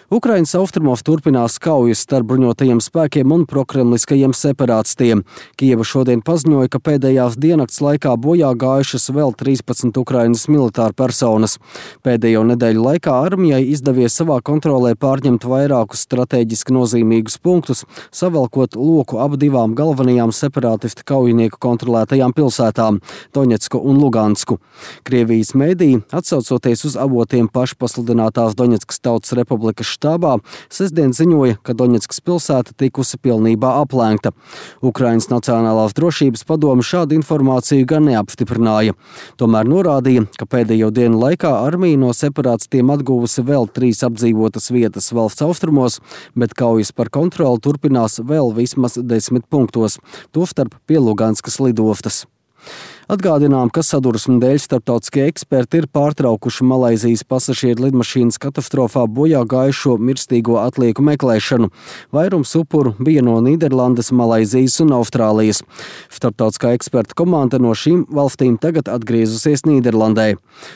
Ukrainas austrumos turpinās kaujas starp bruņotajiem spēkiem un prokremliskajiem separātistiem. Kijeva šodien paziņoja, ka pēdējās diennakts laikā bojā gājušas vēl 13 Ukrainas militāru personas. Pēdējo nedēļu laikā armijai izdevies savā kontrolē pārņemt vairākus strateģiski nozīmīgus punktus, savelkot loku ap divām galvenajām separātistu kaujinieku kontrolētajām pilsētām – Doņetsku un Lugansku. Krievijas mēdī, atsaucoties uz avotiem pašpasludinātās Doņetskas Tautas Republikas štābā, sestdien ziņoja, ka Doņetskas pilsēta tikusi pilnībā aplenkta. Ukrainas Nacionālās drošības padome šādu informāciju gan neapstiprināja. Tomēr norādīja, ka pēdējo dienu laikā armija no separātistiem atguvusi vēl 3 apdzīvotas vietas valsts austrumos, bet kaujas par kontroli turpinās vēl vismaz 10 punktos, tostarp pie Luganskas lidostas. Atgādinām, ka sadursmu dēļ starptautiskie eksperti ir pārtraukuši Malaizijas pasažieru lidmašīnas katastrofā bojā gājušo mirstīgo atlieku meklēšanu. Vairums upuru bija no Nīderlandes, Malaizijas un Austrālijas. Starptautiskā eksperta komanda no šīm valstīm tagad atgriezusies Nīderlandē.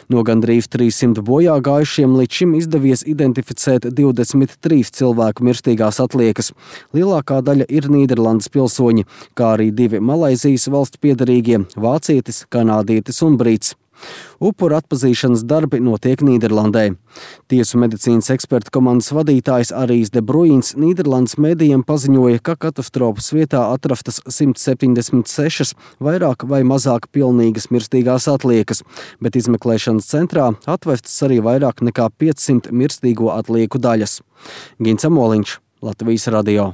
No gandrīz 300 bojā gājušiem līdz šim izdevies identificēt 23 cilvēku mirstīgās atliekas. Lielākā daļa ir Nīderlandes pilsoņi, kā arī 2 Malaizijas valsts piederīgie – vācietis, kanādietis un brīts. Upuru atpazīšanas darbi notiek Nīderlandē. Tiesu medicīnas eksperta komandas vadītājs Arijs de Bruīns Nīderlandes mēdījiem paziņoja, ka katastrofas vietā atrastas 176 vairāk vai mazāk pilnīgas mirstīgās atliekas, bet izmeklēšanas centrā atvestas arī vairāk nekā 500 mirstīgo atlieku daļas. Gins Amoliņš, Latvijas radio.